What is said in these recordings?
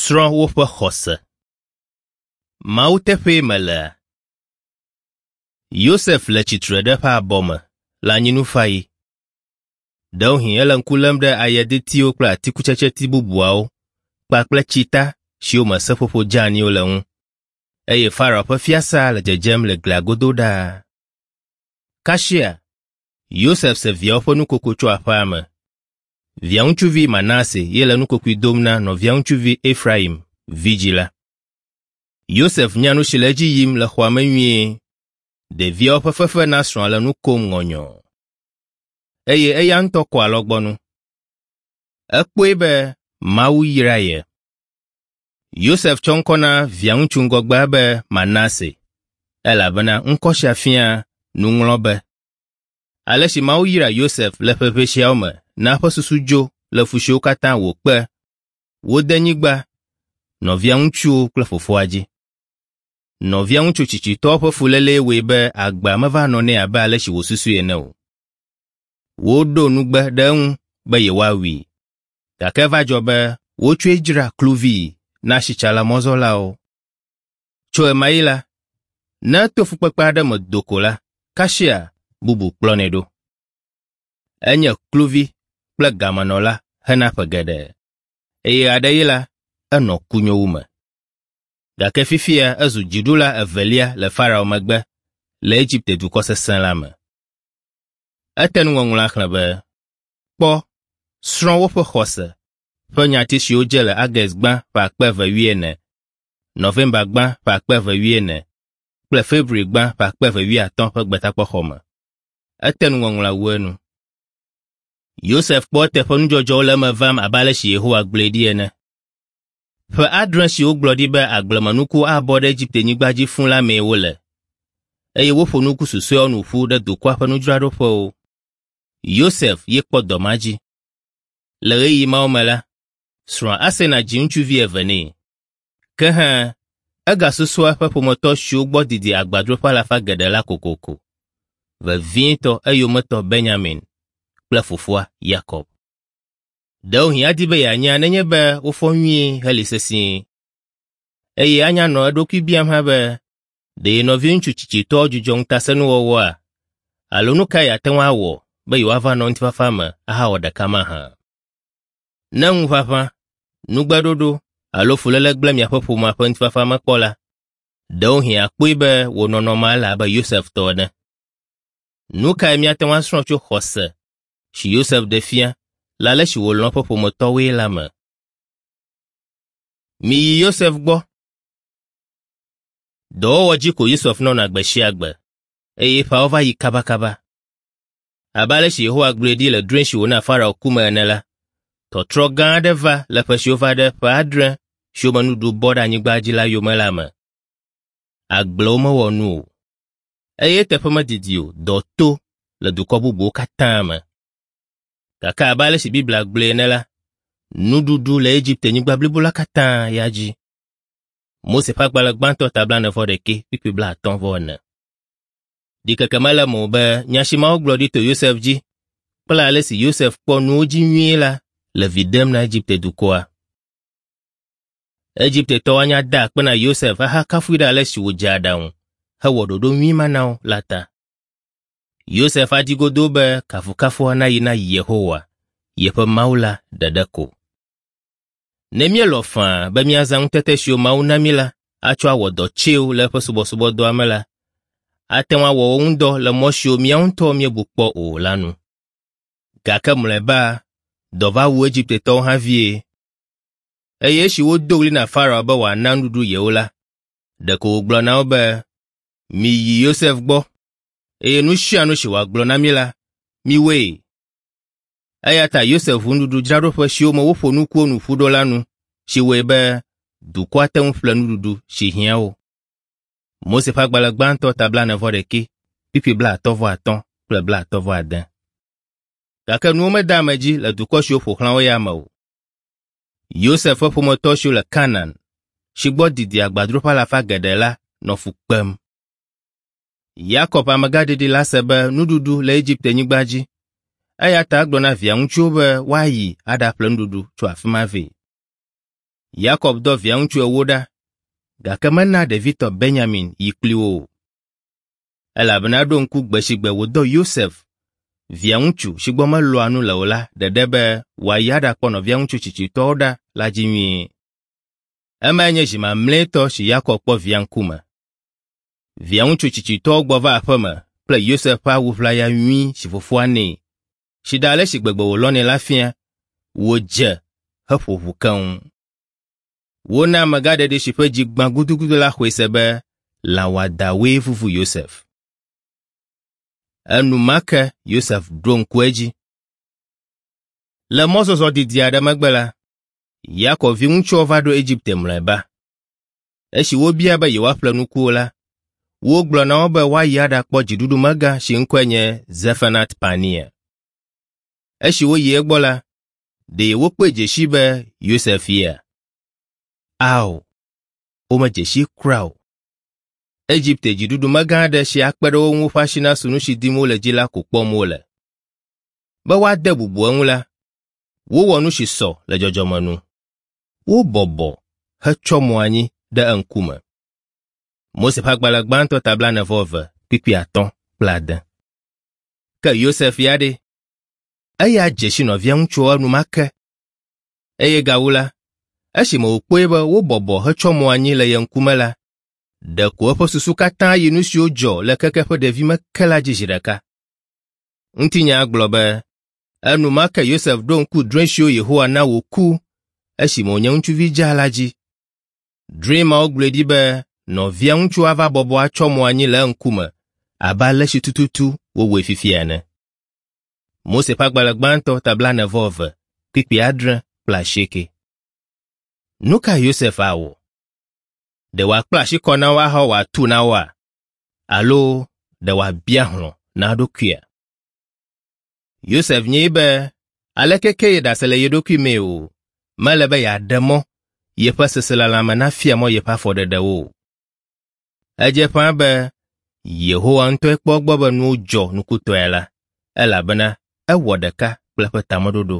Srɔ̃ woƒe xɔse. Mawu teƒee melea? Yosef le tsitre ɖe eƒe abɔ me le anyinufaɣi. Ɖewohĩ ele ŋku lém ɖe ayedetiwo kple atikutsetseti bubuawo kpakple tsita siwo me seƒoƒo dzeaniwo le ŋu eye Farao ƒe fiasa le dzedzem le glia godo ɖaa. Kasia, Yosef se viawo ƒe nukoko tso aƒea me. Via ŋutsuvi Manase ye le nukokoe dom na nɔvia ŋutsuvi Efraim, vidzĩ la. Yosef nya nu si le edzi yim le xɔa me nyuie. Ɖeviawo ƒe fefe na srɔ̃a le nu kom ŋɔnyɔɔ. Eye eya ŋutɔ kɔ alɔgbɔnu. Ekpɔe be Mawu yra ye. Yosef tsɔ ŋkɔ na via ŋutsu ŋgɔgbea be Manase, elabena ŋkɔ sia fia nuŋlɔbe. Ale si Mawu yra Yosef le ƒe ʋɛ siawo me na eƒe susu dzo le fu siwo katã wòkpe, wo denyigba, nɔvia ŋutsuwo kple fofoa dzi. Nɔvia ŋutsu tsitsitɔ ƒe fulélee wɔe be agbea meva nɔ nɛ abe ale si wòsusui ene o. Woɖo nugbe ɖe eŋu be yewoawui, gake eva dzɔ be wotsɔe dzra kluvii na asitsala mɔzɔlawo. Tso ɣemaɣi la, ne eto fukpekpe aɖe me do ko la, kasia bubu kplɔnɛ ɖo. Enye kluvi kple gamenɔla hena ƒe geɖe, eye ɣeaɖeɣi la, enɔ kunyowu me. Gake fifia ezu dziɖula evelia le Farao megbe le Egipte dukɔ sesẽ la me. Ete nuŋɔŋlɔa xlẽ be, Kpɔ, srɔ̃ woƒe xɔse ƒe nyati siwo dze le August gbã ƒe 2040, November gbã ƒe 2040 kple February gbã ƒe 2050 ƒe Gbetakpɔxɔ me. Ete nuŋɔŋlɔa wu enu. Yosef kpɔ eteƒe nudzɔdzɔwo le eme vam abe ale si Yehowa gblɔe ɖi ene. Ƒe adre si wogblɔ ɖi be agblemenuku abɔ ɖe Egipte-nyigba dzi fũ la mee wole, eye woƒo nuku susɔeawo nu ƒu ɖe dukɔa ƒe nudzraɖoƒewo. Yosef ye kpɔ dɔ ma dzi. Le ɣeyiɣi mawo me la, srɔ̃a Asena dzi ŋutsuvi eve nɛ. Ke hã, egasusua eƒe ƒometɔ siwo gbɔ didi agbadroƒe alafa geɖe la kokoko, vevietɔ eyometɔ Benyamin kple fofoa Yakob. Ɖewohĩ adi be yeanya nenye be wofɔ nyuie heli sesĩe. Eye anya nɔ eɖokui biam hã be, ɖe ye nɔviŋutsu tsitsitɔ dzudzɔ ŋutasẽnuwɔwɔa? Alo nu kae yeate ŋu awɔ be yewoava nɔ ŋutifafa me ahawɔ ɖeka mahã? Ne ŋuʋaʋã, nugbeɖoɖo alo fuléle gblẽ miaƒe ƒomea ƒe ŋutifafa me kpɔ la, ɖewohĩ àkpɔe be wò nɔnɔmea le abe Yosef tɔ ene. Nu kae míate ŋu asrɔ̃ tso xɔse si Yosef ɖe fia le ale si wòlɔ̃ eƒe ƒometɔwoe la me? Miyi Yosef gbɔ. Dɔwɔwɔ dzi ko Yosef nɔna gbe sia gbe, eye ƒeawo va yi kabakaba. Abe ale si Yehowa gblɔe ɖi le drɔ̃e si wòna Farao ku me ene la, tɔtrɔ gã aɖe va le ƒe siwo va ɖe ƒe adre siwo me nuɖuɖu bɔ ɖe anyigba dzi la yome la me. Agblewo mewɔ nu o, eye eteƒe medidi o dɔ to le dukɔ bubuwo katã me. Gake abe ale si Biblia gblɔe ene la, nuɖuɖu le Egipte-nyigba blibo la katã ya dzi. Mose ƒe agbalẽ gbãtɔ ta blaene-vɔ-ɖekɛ kpukpui blaatɔ̃-vɔ-ene. Ɖikeke mele eme o be nya si Mawu gblɔ ɖi to Yosef dzi kple ale si Yosef kpɔ nuwo dzi nyuie la le vi ɖem na Egipte dukɔa. Egiptetɔwo anya da akpe na Yosef ahakafui ɖe ale si wòdze aɖaŋu hewɔ ɖoɖo nyui ma na wo la ta. Yosef adi godoo be kafukafua nayi na Yehowa, yeƒe Mawu la ɖeɖe ko. Ne míelɔ̃ faa be míazã ŋutete siwo Mawu na mí la atsɔ awɔ dɔ tsɛwo le eƒe subɔsubɔdɔa me la, ate ŋu awɔ wo ŋudɔ le mɔ siwo míawo ŋutɔ míebu kpɔ o la nu. Gake mlɔeba, dɔ va wu Egiptetɔwo hã vie. Eye esi wodo ɣli na Farao be wòana nuɖuɖu yewo la, ɖeko wògblɔ na wo be, Miyi Yosef gbɔ, eye nu sia nu si wòagblɔ na mi la, miwɔe. Eya ta Yosef ʋu nuɖuɖudzraɖoƒe siwo me woƒo nukuwo nu ƒu ɖo la nu, si wɔe be dukɔa te ŋu ƒle nuɖuɖu si hiã wo. Mose ƒe agbalẽ gbãtɔ ta blaene-vɔ-ɖekɛ, kpukpui blaatɔ̃-vɔ-atɔ̃ kple blaatɔ̃-vɔ-ade. Gake nuwo mede ame dzi le dukɔ siwo ƒo xlã wo ya me o. Yosef ƒe ƒometɔ siwo le Kanaan, si gbɔ didi agbadroƒe alafa geɖe la nɔ fu kpem. Yakob amegãɖeɖi la se be nuɖuɖu le Egipte-nyigba dzi, eya ta egblɔ na via ŋutsuwo be woayi aɖaƒle nuɖuɖu tso afi ma vɛ. Yakob dɔ via ŋutsu ewo ɖa, gake mena ɖevitɔ Benyamin yi kpli wo o. Elabena eɖo ŋku gbe si gbe wòdɔ Yosef, via ŋutsu si gbɔ melɔ̃a nu le o la ɖeɖe be wòayi aɖakpɔ nɔvia ŋutsu tsitsitɔwo ɖa la dzi nyuie. Emae nye zi mamlɛtɔ si Yakob kpɔ via ŋkume. Via ŋutsu tsitsitɔwo gbɔ va aƒe me kple Yosef ƒe awu ʋlaya nyui si fofoa nɛ, si ɖe ale si gbegbe wòlɔ̃nɛ la fia, wòdze heƒo ʋu keŋ. Wona amegãɖeɖi si ƒe dzi gbã gudugudu la xɔe se be lã wɔadãwoe vuvu Yosef. Enumake Yosef ɖo ŋku edzi. Le mɔzɔzɔ didi aɖe megbe la, Yakob viŋutsuawo va ɖo Egipte mlɔeba. Esi wobia be yewoaƒle nukuwo la, wogblɔ na wo be woayi aɖakpɔ dziɖuɖumegã si ŋkɔe nye Zefenat Panea. Esi woyi egbɔ la, ɖe wokpɔe dze sii be Yosef yea? Ao, womedze sii kura o. Egipte dziɖuɖumegã aɖe si akpe ɖe wo ŋu ƒe asi nasu nu si dim wole dzi la ko kpɔm wole. Be woade bubu eŋu la, wowɔ nu si sɔ le dzɔdzɔme nu. Wobɔbɔ hetsyɔ mo anyi ɖe eŋkume. Mose ƒe agbalẽ gbãtɔ ta blaene-vɔ-eve kpukpui atɔ̃ kple ade. Ke Yosef ya ɖe? Eya dze si nɔvia ŋutsuwo enumake. Eye gawu la, esime wòkpɔe be wobɔbɔ hetsyɔ mo anyi le ye ŋkume la, ɖeko eƒe susu katã yi nu siwo dzɔ le keke eƒe ɖevime ke la dzi zi ɖeka. Ŋutinya gblɔ be enumake Yosef ɖo ŋku drɔ̃e siwo Yehowa na wòku esime wònye ŋutsuvi dzaa la dzi. Drɔ̃e mawo gblɔe ɖi be nɔvia ŋutsu ava bɔbɔ atsyɔ mo anyi le eŋkume abe ale si tututu wowɔe fifia ene. Mose ƒe agbalẽ gbãtɔ ta blaene-vɔ-eve, kpukpui adre kple asieke. Nu ka Yosef awɔ? Ɖe wòakpla asi kɔ na wo ahawɔ atu na woa? Alo ɖe wòabia hlɔ̃ na eɖokuia? Yosef nyae be aleke ke yeɖase le ye ɖokui mee o, mele be yeaɖe mɔ yeƒe seselelãme nafia mɔ yeƒe afɔɖeɖewo o. Edze ƒãa be Yehowa ŋutɔe kpɔ egbɔ be nuwo dzɔ nukutɔe la, elabena ewɔ ɖeka kple eƒe tameɖoɖo.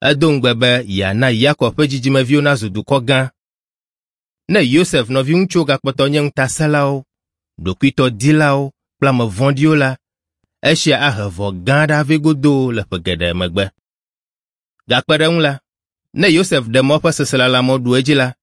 Edo ŋugbe be yeana Yakob ƒe dzidzimeviwo nazu dukɔ gã. Ne Yosef nɔviŋutsuwo gakpɔtɔ nye ŋutasẽlawo, ɖokuitɔdilawo kple ame vɔ̃ɖiwo la, esia ahe vɔ̃ gã aɖe avɛ godoo le ƒe geɖe megbe. Gakpe ɖe eŋu la, ne Yosef ɖe mɔ eƒe seselelãmewo ɖu edzi la,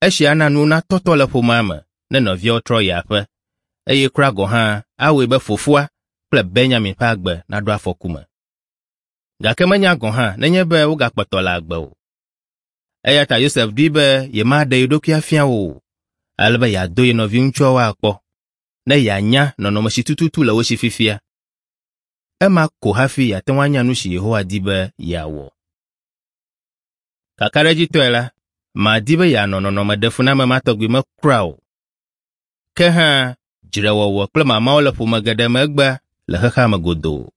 esia ana nuwo natɔtɔ le ƒomea me ne nɔviawo trɔ yi aƒe, eye kura gɔ̃ hã awɔe be fofoa kple Benyamin ƒe agbe naɖo afɔku me. Gake menya gɔ̃ hã nenye be wogakpɔtɔ le agbe o. Eya ta Yosef ɖoe be yemaɖe ye ɖokui afia wo o, ale be yeado ye nɔviŋutsuawo akpɔ, ne yeanya nɔnɔme si tututu le wo si fifia. Ema ko hafi yeate ŋu anya nu si Yehowa di be yeawɔ. Kakaɖedzitɔe la, madi be yeanɔ nɔnɔme ɖefuname ma tɔgbi me kura o. Ke hã, dzrewɔwɔ kple mamawo le ƒome geɖe me egbea le xexea me godoo.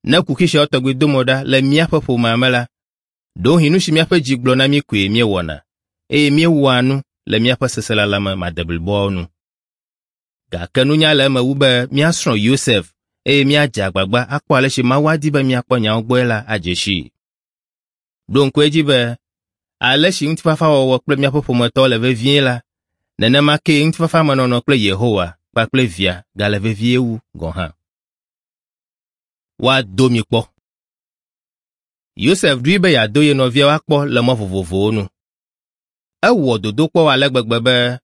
Ne kuxi siawo tɔgbi do mo ɖa le míaƒe ƒomea me la, ɖewohĩ nu si míaƒe dzi gblɔ na mí koe míewɔna, eye míewɔa nu le míaƒe seselelãme madebliboawo nu. Gake nunya le eme wu be míasrɔ̃ Yosef eye míadze agbagba akpɔ ale si Mawu adi be míakpɔ nyawo gbɔe la adze sii. Ɖo ŋku edzi be ale si ŋutifafawɔwɔ kple míaƒe ƒometɔwo le vevie la, nenema kee ŋutifafamenɔnɔ kple Yehowa kpakple Via gale vevie wu gɔ̃ hã. Woado mi kpɔ. Yosef ɖoe be yeado ye nɔviawo akpɔ le mɔ vovovowo nu. Ewɔ dodokpɔwo ale gbegbe be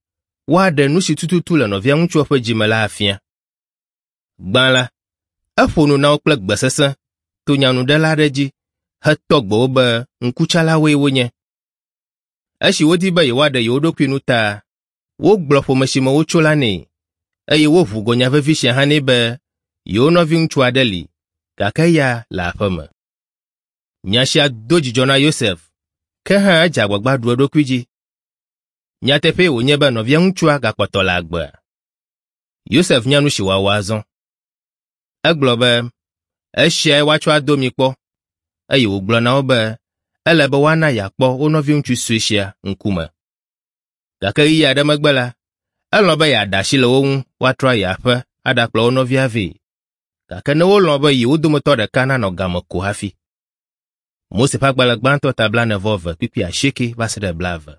woaɖe nu si tututu le nɔvia ŋutsua ƒe dzi me la afia. Gbã la, eƒo nu na wo kple gbe sesẽ to nyanuɖela aɖe dzi hetɔ gbe wo be ŋkutsalawoe wonye. Esi wodi be yewoaɖe yewo ɖokui nu ta, wogblɔ ƒome si me wotso la nɛ, eye woʋu go nya vevi sia hã nɛ be yewo nɔviŋutsu aɖe li, gake eya le aƒe me. Nya sia do dzidzɔ na Yosef, ke hã edze agbagba ɖu eɖokui dzi. Nyateƒee wònye be nɔvia ŋutsua gakpɔtɔ le agbea. Yosef nya nu si wòawɔ azɔ. Egblɔ be, Esiae woatsɔ ado mi kpɔ, eye wògblɔ na wo be ele be woana yeakpɔ wo nɔviŋutsu sue sia ŋkume. Gake ɣeyiɣi aɖe megbe la, elɔ̃ be yeaɖe asi le wo ŋu woatrɔ ayi aƒe aɖakplɔ wo nɔvia vɛ. Gake ne wolɔ̃ be yewo dometɔ ɖeka nanɔ game ko hafi. Mose ƒe agbalẽ gbãtɔ ta 41 kpukpui 8 va se ɖe 20.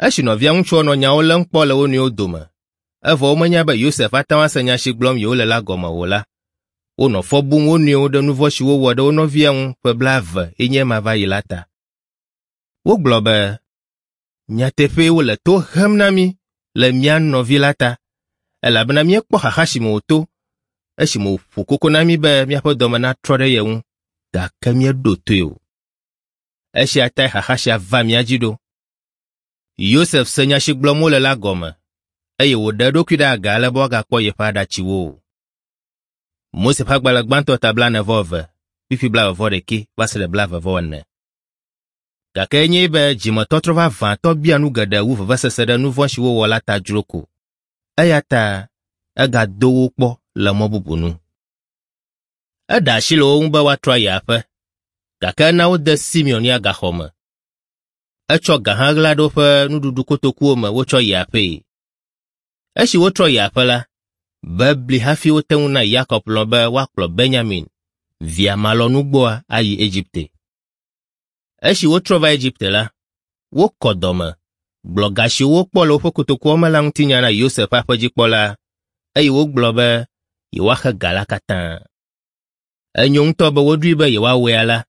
Esi nɔvia ŋutsuwo nɔ nyawo lém kpɔ le wo nɔewo dome, evɔ womenya be Yosef ate ŋu ase nya si gblɔm yewole la gɔme o la, wonɔ fɔ bum wo nɔewo ɖe nu vɔ̃ si wowɔ ɖe wo nɔvia ŋu ƒe 20 ye nye ema va yi la ta. Wogblɔ be, Nyateƒee wole to hem na mí le mía nɔvi la ta, elabena míekpɔ xaxa si me wòto esime wòƒo koko na mí be míaƒe dɔme natrɔ ɖe ye ŋu, gake míeɖo toe o. Esia tae xaxa sia va mía dzi ɖo. Yosef se nya si gblɔm wole la gɔme, eye wòɖe eɖokui ɖe aga ale be woagakpɔ yeƒe aɖatsiwo o. Mose ƒe agbalẽ gbãtɔ ta 42, kpukpui 21 va se ɖe 24. Gake enyae be dzimetɔtrɔ vavãtɔ bia nu geɖe wu vevesese ɖe nu vɔ̃ si wowɔ la ta dzro ko. Eya ta egado wo kpɔ le mɔ bubu nu. Eɖe asi le wo ŋu be woatrɔ ayi aƒe, gake ena wode Simeon ya gaxɔ me. Etsɔ ga hã ɣla ɖe woƒe nuɖuɖukotokuwo me wotsɔ yi aƒee. Esi wotrɔ yi aƒe la, bebli hafi wote ŋu na Yakob lɔ̃ be woakplɔ Benyamin, via malɔ̃nugbɔa ayi Egipte. Esi wotrɔ va Egipte la, wokɔ dɔme, gblɔ ga siwo wokpɔ le woƒe kotokuawo me la ŋutinya na Yosef ƒe aƒedzikpɔla, eye wogblɔ be yewoaxe ga la katã. Enyo ŋutɔ be woɖoe be yewoawɔe alea,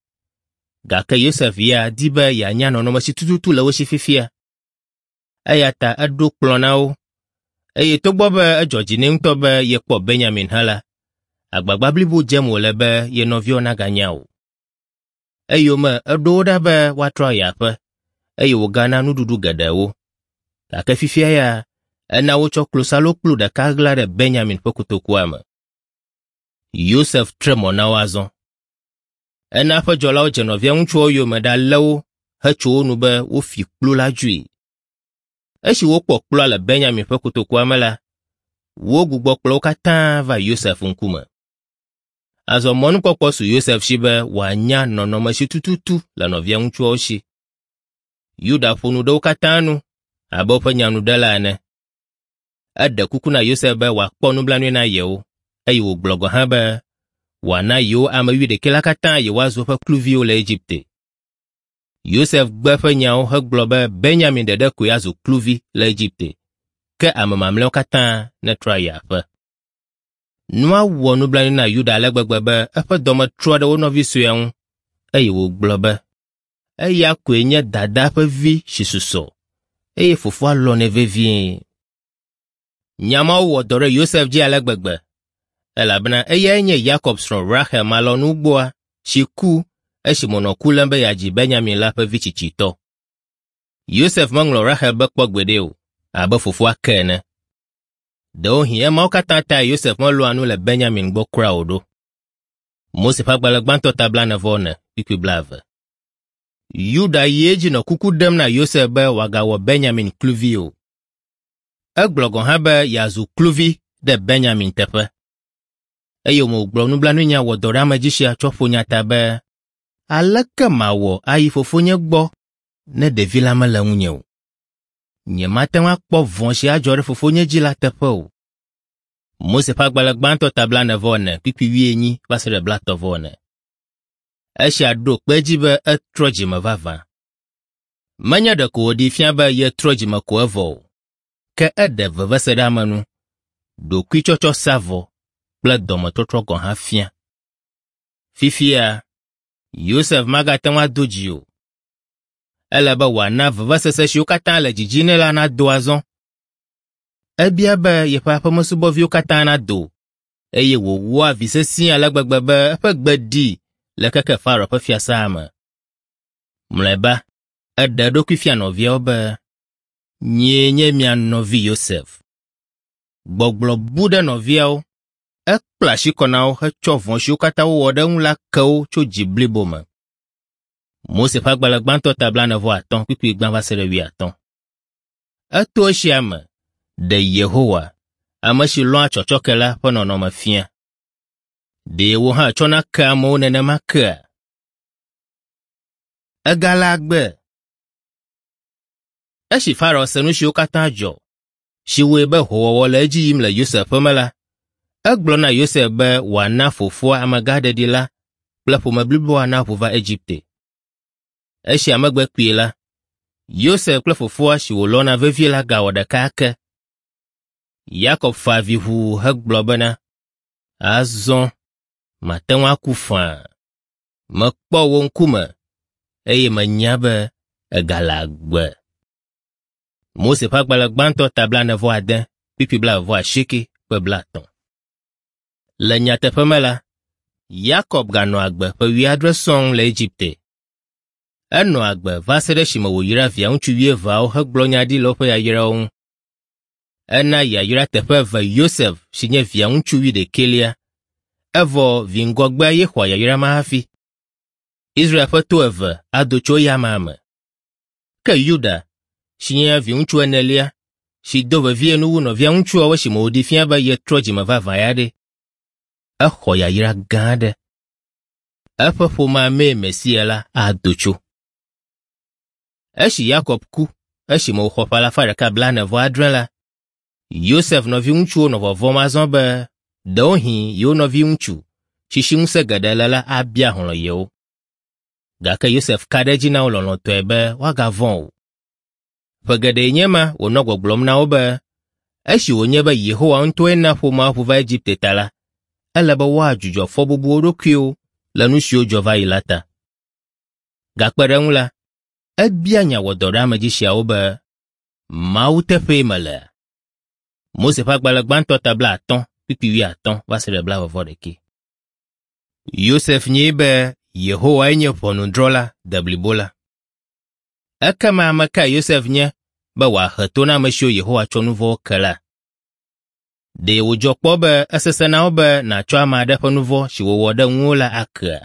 gake Yosef ya di be yeanya nɔnɔme si tututu le wo si fifia. Eya ta eɖo kplɔ̃ na wo, eye togbɔ be edzɔ dzi nɛ ŋutɔ be yekpɔ Benyamin hã la, agbagba blibo dzem wòle be ye nɔviawo naganya o. Eyome eɖo wo ɖa be woatrɔ ayi aƒe, eye wògana nuɖuɖu geɖe wo. Gake fifia ya, ena wotsɔ klosalokplu ɖeka ɣla ɖe Benyamin ƒe kotokua me. Yosef tre mɔ na wo azɔ. Ena eƒe dzɔlawo dze nɔvia ŋutsuawo yome ɖalé wo hetso wo nu be wofi kplu la dzoe. Esi wokpɔ kplua le Benyamin ƒe kotokua me la, wogbugbɔ kplɔ wo katã va Yosef ŋkume. Azɔ mɔnukpɔkpɔ su Yosef si be wòanya nɔnɔme si tututu le nɔvia ŋutsuawo si. Yuda ƒo nu ɖe wo katã nu abe woƒe nyanuɖela ene. Eɖe kuku na Yosef be wòakpɔ nublanui na yewo, eye wògblɔ gɔ̃ hã be wòana yewo ame wuiɖekɛ la katã yewoazu eƒe kluviwo le Egipte. Yosef gbe eƒe nyawo hegblɔ be Benyamin ɖeɖe koe azu kluvi le Egipte, ke ame mamlɛawo katã netrɔ ayi aƒe. Nua wɔ nublanui na Yuda ale gbegbe be eƒe dɔme trɔ ɖe wo nɔvi suea ŋu, eye wògblɔ be, eya koe nye dadaa ƒe vi si susɔ, eye fofoa lɔ̃nɛ vevie. Nya mawo wɔ dɔ ɖe Yosef dzi ale gbegbe, elabena eyae nye Yakob srɔ̃ Rahel malɔ̃nugbɔa si ku esime wònɔ ku lém be yeadzi Benyamin la ƒe vi tsitsitɔ. Yosef meŋlɔ Rahel be kpɔ gbeɖe o, abe fofoa ke ene. Ɖewohĩ emawo katã tae Yosef melɔ̃a nu le Benyamin gbɔ kura o ɖo. Mose ƒe agbalẽ gbãtɔ ta 44, kpukpui 20. Yuda yi edzi nɔ kuku ɖem na Yosef be wòagawɔ Benyamin kluvi o. Egblɔ gɔ̃ hã be yeazu kluvi ɖe Benyamin teƒe. Eyome wògblɔ nublanuinya wɔdɔɖeamedzi sia tsɔ ƒo nya ta be, Aleke mawɔ ayi fofonye gbɔ ne ɖevi la mele ŋunye o? Nyemate ŋu akpɔ vɔ̃ si adzɔ ɖe fofonye dzi la teƒe o. Mose ƒe agbalẽ gbãtɔ ta 44, kpukpui 80 va se ɖe 30/4. Esia ɖo kpe edzi be etrɔ dzime vavã. Menye ɖeko wòɖee fia be yetrɔ dzime ko evɔ o, ke eɖe veveseɖeamenu, ɖokuitsɔtsɔ sa vɔ kple dɔmetɔtrɔ gɔ̃ hã fia. Fifia, Yosef magate ŋu ado dzi o. Ele be wòana vevesese siwo katã le dzidzi nɛ la nado azɔ. Ebia be yeƒe aƒemesubɔviwo katã nado, eye wòwɔa vi sesĩe ale gbegbe be eƒe gbe ɖi le keke Farao ƒe fiasã me. Mlɔeba, eɖe eɖokui fia nɔviawo be, Nyee nye mia nɔvi Yosef. Gbɔgblɔ bu ɖe nɔviawo, ekpla asi kɔ na wo hetsɔ vɔ̃ siwo katã wowɔ ɖe eŋu la ke wo tso dzi blibo me. Mose ƒe agbalẽ gbãtɔ ta 45 kpukpui gbã va se ɖe 50. Eto esia me ɖe Yehowa, ame si lɔ̃a tsɔtsɔke la ƒe nɔnɔme fia. Ɖe wò hã ètsɔna kea amewo nenema kea? Egale agbe. Esi Farao se nu siwo katã dzɔ, si wɔe be hoowɔwɔ le edzi yim le Yosef ƒe me la, egblɔ na Yosef be wòana fofoa amegãɖeɖi la kple ƒome bliboa naʋu va Egipte. Esia megbe kpuie la, Yosef kple fofoa si wòlɔ̃na vevie la gawɔ ɖeka ake. Yakob fa avi ʋuu hegblɔ bena, Azɔ mate ŋu aku faa. Mekpɔ wò ŋkume eye menya be ègale agbe. Mose ƒe agbalẽ gbãtɔ ta 46, kpukpui 28 kple 30. Le nyateƒe me la, Yakob ganɔ agbe ƒe wuiadre sɔŋ le Egipte. Enɔ agbe va se ɖe esime wòyra via ŋutsu wuieveawo hegblɔ nya ɖi le woƒe yayrawo ŋu. Ena yayra teƒe eve Yosef si nye via ŋutsu wuiɖekɛlia, evɔ vi ŋgɔgbea ye xɔa yayra ma hafi. Israel ƒe to eve ado tso eya amea me. Ke Yuda, si nye viŋutsu enelia, si do vevie nu wu nɔvia ŋutsuawo esime wòɖi fia be yetrɔ dzime vavã ya ɖe, exɔ yayra gã aɖe. Eƒe ƒomea mee Mesia la ado tso. Esi Yakob ku esime wòxɔ ƒe alafa ɖeka blaene-vɔ-adre la, Yosef nɔviŋutsuwo nɔ vɔvɔ̃m azɔ be ɖewohĩ yewo nɔviŋutsu si si ŋusẽ geɖe le la abia hlɔ̃ yewo. Gake Yosef ka ɖe edzi na wo lɔlɔ̃tɔe be woagavɔ̃ o. Ƒe geɖee nye ema wònɔ gbɔgblɔm na wo be esi wònye be Yehowa ŋutɔe na ƒomea ʋu va Egipte ta la, ele be woadzudzɔ fɔbubu wo ɖokuiwo le nu siwo dzɔ va yi la ta. Gakpe ɖe eŋu la, ebia nya wɔdɔɖeamedzi siawo be, Mawu teƒee melea? Mose ƒe agbalẽ gbãtɔ ta 50, kpukpui 50 va se ɖe 41. Yosef nyae be Yehowae nye ʋɔnudrɔ̃la deblibo la. Ekema ame kae Yosef nye be wòahe to na ame siwo Yehowa tsɔ nu vɔ̃wo ke la? Ɖe wòdzɔ kpɔ be esesẽ na wò be nàtsɔ ame aɖe ƒe nu vɔ̃ si wòwɔ ɖe ŋuwò la akea?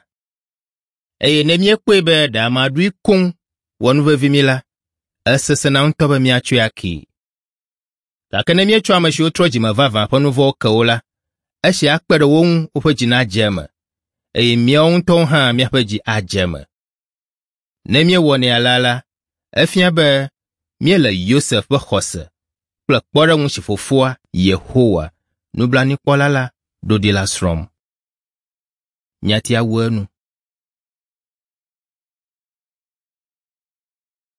Eye ne míekpɔe be ɖe ame aɖoe koŋ wɔ nu vevi mí la, esesẽna ŋutɔ be míatsɔe akee. Gake ne míetsɔ ame siwo trɔ dzime vavã ƒe nu vɔ̃wo ke wo la, esia akpe ɖe wo ŋu woƒe dzi nadze eme, eye míawo ŋutɔwo hã míaƒe dzi adze eme. Ne míewɔnɛ alea la, efia be míele Yosef ƒe xɔse kple kpɔɖeŋu si fofoa, Yehowa, nublanuikpɔla la, ɖo ɖi la srɔ̃m. Nyatia wu enu.